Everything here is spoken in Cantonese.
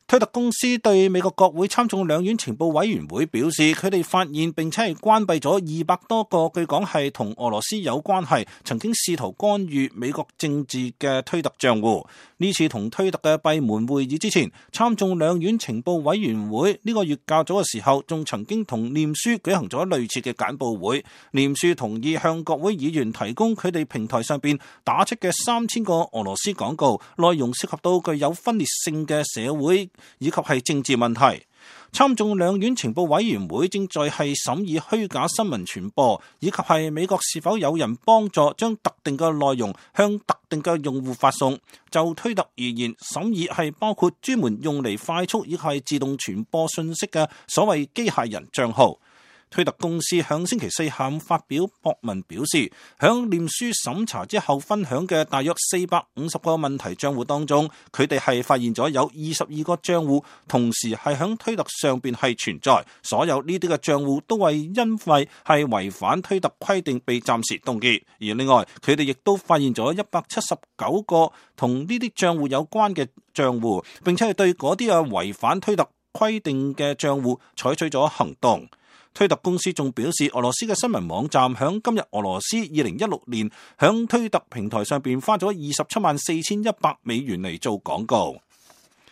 推特公司對美國國會參眾兩院情報委員會表示，佢哋發現並且係關閉咗200多個據講係同俄羅斯有關係、曾經試圖干預美國政治嘅推特賬戶。呢次同推特嘅閉門會議之前，參眾兩院情報委員會呢個月較早嘅時候，仲曾經同臉書舉行咗類似嘅簡報會。臉書同意向國會議員提供佢哋平台上邊打出嘅3000個俄羅斯廣告，內容涉及到具有分裂性嘅社會以及係政治問題。參眾兩院情報委員會正在係審議虛假新聞傳播，以及係美國是否有人幫助將特定嘅內容向特定嘅用戶發送。就推特而言，審議係包括專門用嚟快速以及係自動傳播信息嘅所謂機械人賬號。推特公司響星期四下午發表博文表示，響臉書審查之後分享嘅大約450個問題賬戶當中，佢哋係發現咗有22個賬戶同時係響推特上邊係存在，所有呢啲嘅賬戶都係因為係違反推特規定被暫時凍結。而另外，佢哋亦都發現咗179個同呢啲賬戶有關嘅賬戶，並且係對嗰啲違反推特規定嘅賬戶採取咗行動。推特公司仲表示，俄羅斯嘅新聞網站響今日俄羅斯2016年響推特平台上邊花咗274100美元嚟做廣告。